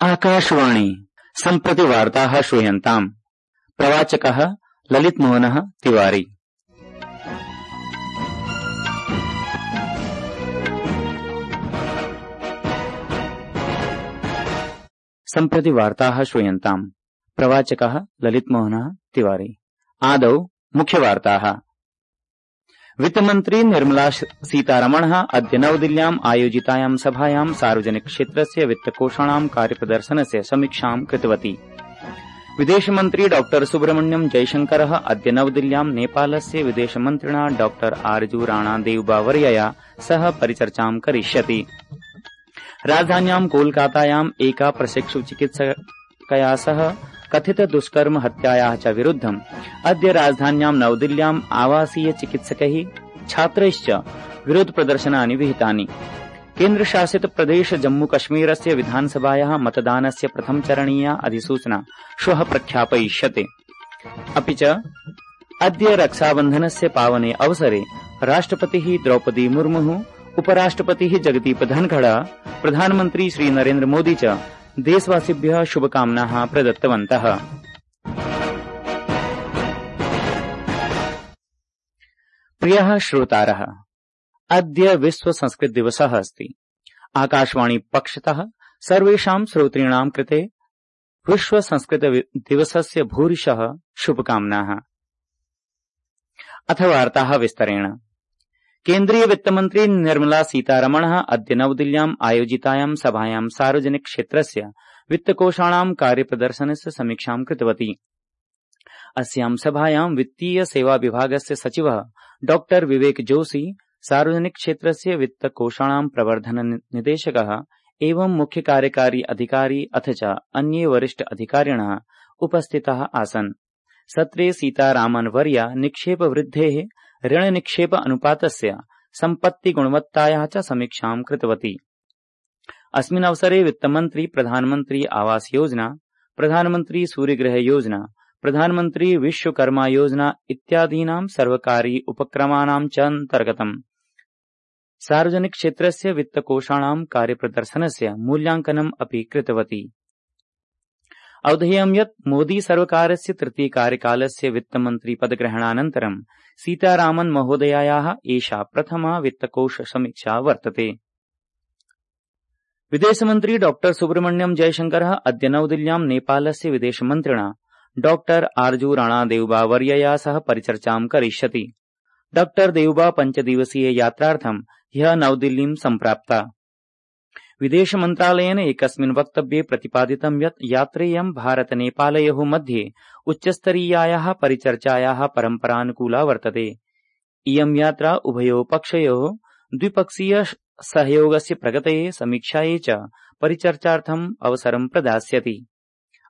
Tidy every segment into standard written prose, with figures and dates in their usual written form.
आकाशवाणी सम्प्रति वार्ताः श्रूयन्ताम्। प्रवाचकः ललितमोहनः तिवारी। सम्प्रति वार्ताः श्रूयन्ताम्। प्रवाचकः ललितमोहनः तिवारी। आदौ मुख्यवार्ताः। वित्तमन्त्री निर्मला सीतारमणः अद्य नवदिल्ल्याम् आयोजितायां सभायां सार्वजनिक क्षेत्रस्य वित्तकोषाणां कार्यप्रदर्शनस्य समीक्षां कृतवती। विदेशमन्त्री डॉ सुब्रह्मण्यम जयशंकरः अद्य नवदिल्ल्यां नेपालस्य विदेशमन्त्रिणा डॉ आरजू राणादेवबावर्यया सह परिचर्चां करिष्यति। राजधान्यां कोलकातायाम् एका प्रशिक्षुचिकित्सकया सह कथित दुष्कर्म हत्यायाः च विरुद्धम् अद्य राजधान्यां नवदिल्ल्याम् आवासीय चिकित्सकैः छात्रैश्च विरोध प्रदर्शनानि विहितानि। केन्द्रशासित प्रदेश जम्मू कश्मीरस्य विधानसभायाः मतदानस्य प्रथम चरणीया अधिसूचना श्वः प्रख्यापयिष्यते। अपि च अद्य रक्षाबन्धनस्य पावने अवसरे राष्ट्रपतिः द्रौपदी मुर्मुः, उपराष्ट्रपतिः जगदीप धनखड़, प्रधानमन्त्री श्री नरेन्द्र मोदी च देशवासिभ्यः शुभकामनाः प्रदत्तवन्तः। प्रियः श्रोतारः, अद्य विश्व संस्कृत दिवसः अस्ति। आकाशवाणी पक्षतः सर्वेषां श्रोतॄणां कृते विश्व संस्कृत दिवसस्य भूरिशः शुभकामनाः। अथ वार्ताः विस्तरेण। केन्द्रीय वित्तमन्त्री निर्मला सीतारमणः अद्य नवदिल्ल्याम् आयोजितायां सभायां सार्वजनिक क्षेत्रस्य वित्तकोषाणां कार्यप्रदर्शनस्य समीक्षां कृतवती। अस्यां सभायां वित्तीय सेवा विभागस्य सचिवः डॉ विवेक जोशी, सार्वजनिक क्षेत्रस्य वित्तकोषाणां प्रवर्धन निदेशकः एवं मुख्य कार्यकारी अधिकारी अथ च अन्ये वरिष्ठ अधिकारिणः उपस्थिताः आसन्। सत्रे सीतारामन वर्या निक्षेप वृद्धेः, ऋण निक्षेप अनुपातस्य, सम्पत्ति गुणवत्तायाः च समीक्षां कृतवती। अस्मिन् अवसरे वित्तमन्त्री प्रधानमन्त्री आवास योजना, प्रधानमन्त्री सूर्यगृह योजना, प्रधानमन्त्री विश्वकर्मा योजना इत्यादीनां सर्वकारी उपक्रमाणां च अन्तर्गतम् सार्वजनिक क्षेत्रस्य वित्तकोषाणां कार्यप्रदर्शनस्य मूल्यांकनम् अपि कृतवती। अवधेयं यत् मोदी सर्वकारस्य तृतीय कार्यकालस्य वित्तमन्त्री पदग्रहणानन्तरं सीतारामन महोदयायाः एषा प्रथमा वित्तकोष समीक्षा वर्तते। विदेशमन्त्री डॉ सुब्रह्मण्यम जयशंकरः अद्य नवदिल्ल्यां नेपालस्य विदेशमन्त्रिणा डॉ आरजू राणादेवबावर्यया सह परिचर्चां करिष्यति। डॉ देवबा 5 दिवसीय यात्रार्थं ह्यः नवदिल्लीं सम्प्राप्ता। विदेश मन्त्रालयेन एकस्मिन् वक्तव्ये प्रतिपादितं यत् यात्रेयं भारत नेपालयोः मध्ये उच्चस्तरीयायाः परिचर्चायाः परम्परानुकूला वर्तते। इयं यात्रा उभयोः पक्षयोः द्विपक्षीय सहयोगस्य प्रगतये, समीक्षायै च परिचर्चार्थम् अवसरं प्रदास्यति।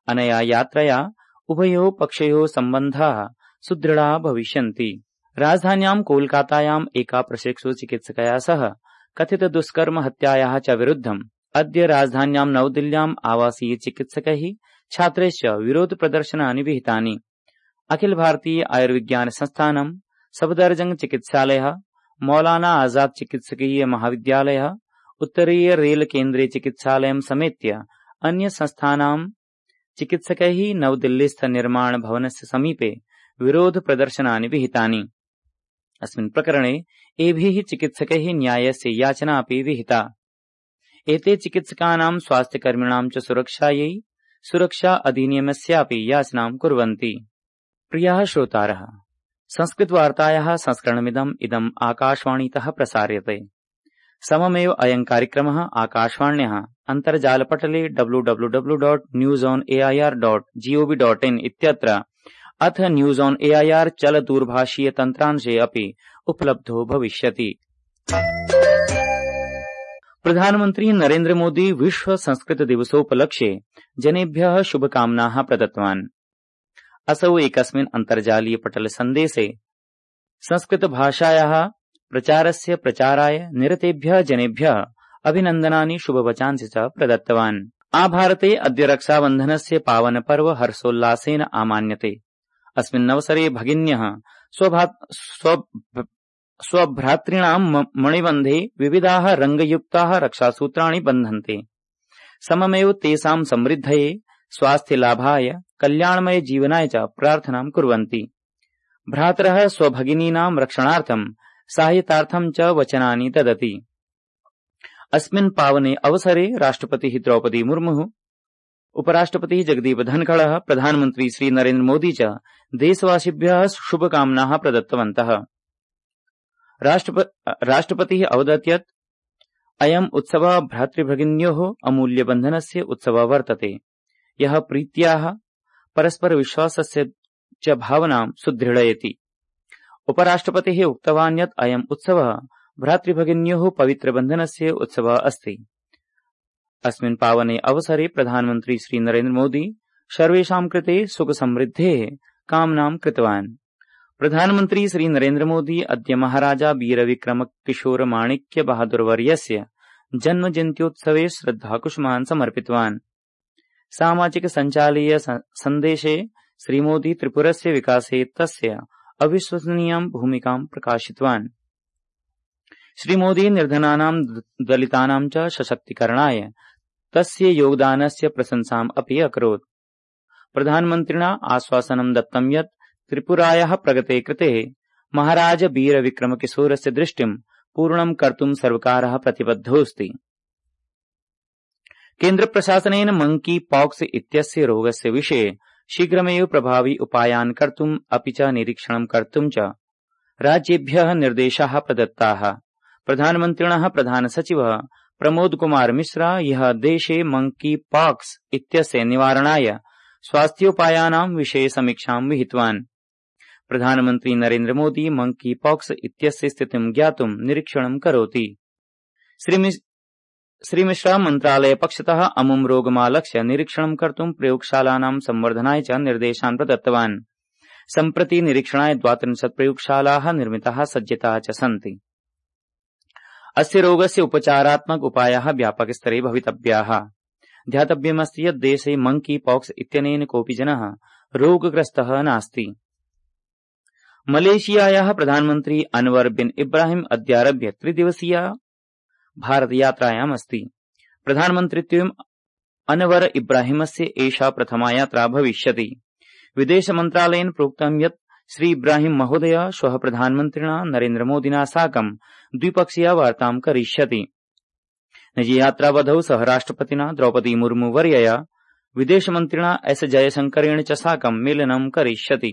अनया यात्रया उभयोः पक्षयोः सम्बन्धाः सुदृढाः भविष्यन्ति। राजधान्यां कोलकातायाम् एका प्रशिक्षुचिकित्सकया सह कथित दुष्कर्म हत्यायाः च विरुद्धम् अद्य राजधान्यां नवदिल्ल्याम् आवासीय चिकित्सकैः छात्रैश्च विरोध प्रदर्शनानि विहितानि। अखिल भारतीय आयुर्विज्ञान संस्थानम्, सफदरजंग चिकित्सालयः, मौलाना आजाद चिकित्सकीय महाविद्यालयः, उत्तरीय रेल केन्द्रीय चिकित्सालयं समेत्य अन्य संस्थानां चिकित्सकैः नवदिल्लीस्थ निर्माण भवनस्य समीपे विरोध प्रदर्शनानि विहितानि। अस्मिन् प्रकरणे एभिः चिकित्सकैः न्यायस्य याचना अपि विहिता। एते चिकित्सकानां स्वास्थ्यकर्मिणां च सुरक्षायै सुरक्षा अधिनियमस्यापि याचनां कुर्वन्ति। प्रियाः श्रोतारः, संस्कृतवार्तायाः संस्करणमिदम् आकाशवाणीतः प्रसार्यते। सममेव अयं कार्यक्रमः आकाशवाण्याः अन्तर्जालपटले www.newsonair.gov.in इत्यत्र अथ न्यूज ऑन एआईआर चल दूरभाषीय तन्त्रांशे अपि उपलब्धो भविष्यति। प्रधानमन्त्री नरेन्द्र मोदी विश्व संस्कृत दिवसोपलक्ष्ये जनेभ्यः शुभकामनाः प्रदत्तवान्। असौ एकस्मिन् अन्तर्जालीय पटल सन्देशे संस्कृत भाषायाः प्रचारस्य प्रचाराय निरतेभ्यः जनेभ्यः अभिनन्दनानि शुभवचांसि च प्रदत्तवान्। आभारते अद्य रक्षाबन्धनस्य पावन पर्व हर्षोल्लासेन आमान्यते। अस्मिन्नवसरे भगिन्यः स्वभ्रातॄणां मणिबन्धे विविधाः रङ्गयुक्ताः रक्षासूत्राणि बध्नन्ते। सममेव तेषां समृद्धये, स्वास्थ्यलाभाय, कल्याणमय जीवनाय च प्रार्थनां कुर्वन्ति। भ्रातरः स्वभगिनीनां रक्षणार्थं साहाय्यार्थं च वचनानि ददति। अस्मिन् पावने अवसरे राष्ट्रपतिः द्रौपदी मुर्मुः, उपराष्ट्रपतिः जगदीप धनखड़ः, प्रधानमन्त्री श्री नरेन्द्र मोदी च देशवासिभ्यः शुभकामनाः प्रदत्तवन्तः। राष्ट्रपतिः अवदत् यत् अयम् उत्सवः भ्रातृभगिन्योः अमूल्यबन्धनस्य उत्सवः वर्तते, यः प्रीत्याः परस्परविश्वासस्य च भावनां सुदृढयति। उपराष्ट्रपतिः उक्तवान् यत् अयम् उत्सवः भ्रातृभगिन्योः पवित्रबन्धनस्य उत्सवः अस्ति। अस्मिन् पावने अवसरे प्रधानमन्त्री श्री नरेन्द्र मोदी सर्वेषां कृते सुखसमृद्धेः कामनां कृतवान्। प्रधानमन्त्री श्री नरेन्द्र मोदी अद्य महाराजा वीरविक्रम किशोर माणिक्य बहादुर वर्यस्य जन्मजयन्त्योत्सवे श्रद्धाकुसुमान् समर्पितवान्। सामाजिक सञ्जालीय सन्देशे श्रीमोदी त्रिपुरस्य विकासे तस्य अविश्वसनीयां भूमिकां प्रकाशितवान्। श्रीमोदी निर्धनानां दलितानां च सशक्तीकरणाय तस्य योगदानस्य प्रशंसाम् अपि अकरोत्। प्रधानमन्त्रिणा आश्वासनं दत्तं यत् त्रिपुरायाः प्रगते कृते महाराज वीरविक्रमकिशोरस्य दृष्टिं पूर्णं कर्तुं सर्वकारः प्रतिबद्धोऽस्ति। केन्द्रप्रशासनेन मंकी पॉक्स इत्यस्य रोगस्य विषये शीघ्रमेव प्रभावी उपायान् कर्तुम् अपि च निरीक्षणं कर्तुं च राज्येभ्यः निर्देशाः प्रदत्ताः। प्रधानमन्त्रिणः प्रधानसचिवः प्रमोद कुमार मिश्रा यः देशे मंकी पॉक्स इत्यस्य निवारणाय स्वास्थ्योपायानां विषये समीक्षां विहितवान्। प्रधानमन्त्री नरेन्द्र मोदी मंकी पॉक्स इत्यस्य स्थितिं ज्ञातुं निरीक्षणं करोति। श्री मिश्रा मन्त्रालय पक्षतः अमुं रोगमालक्ष्य निरीक्षणं कर्तुं प्रयोगशालानां संवर्धनाय च निर्देशान् प्रदत्तवान्। सम्प्रति निरीक्षणाय 32 प्रयोगशालाः निर्मिताः सज्जताः च सन्ति। अस्य रोगस्य उपचारात्मक उपायाः व्यापकस्तरे भवितव्याः। ध्यातव्यमस्ति यत् देशे मंकी पॉक्स इत्यनेन कोऽपि जनः रोगग्रस्तः नास्ति। मलेशियायाः प्रधानमन्त्री अनवर बिन इब्राहिम अद्यारभ्य 3 दिवसीया भारतयात्रायाम् अस्ति। प्रधानमन्त्रित्वेन अनवर इब्राहिमस्य एषा प्रथमा यात्रा भविष्यति। विदेशमन्त्रालयेन प्रोक्तं यत् श्री इब्राहिम महोदय श्वः प्रधानमन्त्रिणा नरेन्द्र मोदिना साकं द्विपक्षीया वार्तां करिष्यति। निजयात्रावधौ सह राष्ट्रपतिना द्रौपदी मुर्मू वर्यया विदेशमन्त्रिणा एस जयशंकरेण च साकं मेलनं करिष्यति।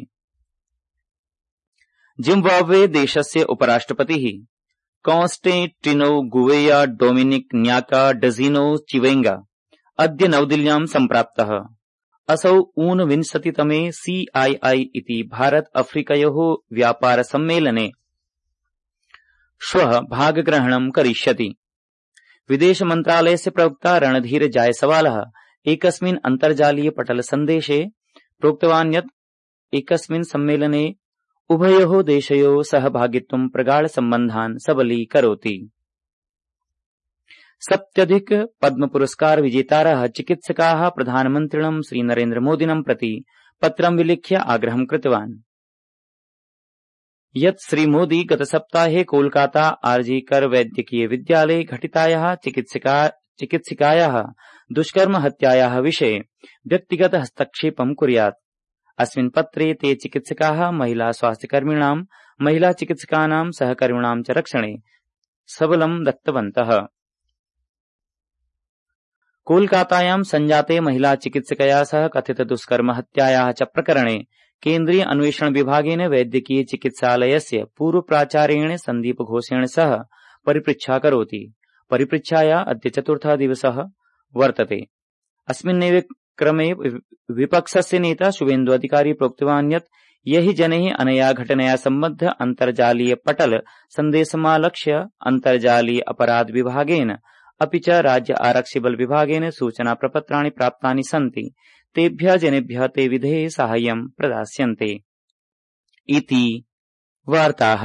जिम्बाब्वे देशस्य उपराष्ट्रपतिः कॉन्स्टेंटिनो गुवेया डोमिनिक न्याका डजिनो चिवेंगा अद्य नवदिल्ल्यां सम्प्राप्तः। असौ 29तमे CII इति भारत अफ्रीकयोः व्यापार सम्मेलने श्वः भागग्रहणं करिष्यति। विदेशमन्त्रालयस्य प्रवक्ता रणधीर जायसवालः एकस्मिन् अन्तर्जालीय पटल सन्देशे प्रोक्तवान् यत् एकस्मिन् सम्मेलने उभयोः देशयोः सहभागित्वं प्रगाढ सम्बन्धान् सबलीकरोति। 70 पद्मपुरस्कार विजेतारः चिकित्सकाः प्रधानमन्त्रिणं श्री नरेन्द्र मोदिनं प्रति पत्रं विलिख्य आग्रहं कृतवान् यत् श्री मोदी गतसप्ताहे कोलकाता आरजीकर वैद्यकीय विद्यालये घटितायाः चिकित्सिकायाः दुष्कर्म हत्यायाः विषये व्यक्तिगत हस्तक्षेपं कुर्यात्। अस्मिन् पत्रे ते चिकित्सकाः महिला स्वास्थ्यकर्मिणां, महिला चिकित्सकानां सहकर्मिणां च रक्षणे सबलं दत्तवन्तः। कोलकातायां संजाते महिला चिकित्सकया सह कथित दुष्कर्म हत्यायाः च प्रकरणे केन्द्रीय अन्वेषण विभागेन वैद्यकीय चिकित्सालयस्य पूर्व प्राचार्येण सन्दीप घोषेण सह परिपृच्छा करोति। परिपृच्छाया अद्य 4था दिवसः वर्तते। अस्मिन्नेव क्रमे विपक्षस्य नेता शुभेन्दु अधिकारी प्रोक्तवान् यत् यहि जनैः अनया घटनया सम्बद्ध अन्तर्जालीय पटल सन्देशमालक्ष्य अन्तर्जालीय अपराध विभागेन अपि च राज्य आरक्षिबल विभागेन सूचना प्रपत्राणि प्राप्तानि सन्ति तेभ्यः जनेभ्यः ते विधेः साहाय्यं प्रदास्यन्ते इति वार्ताः।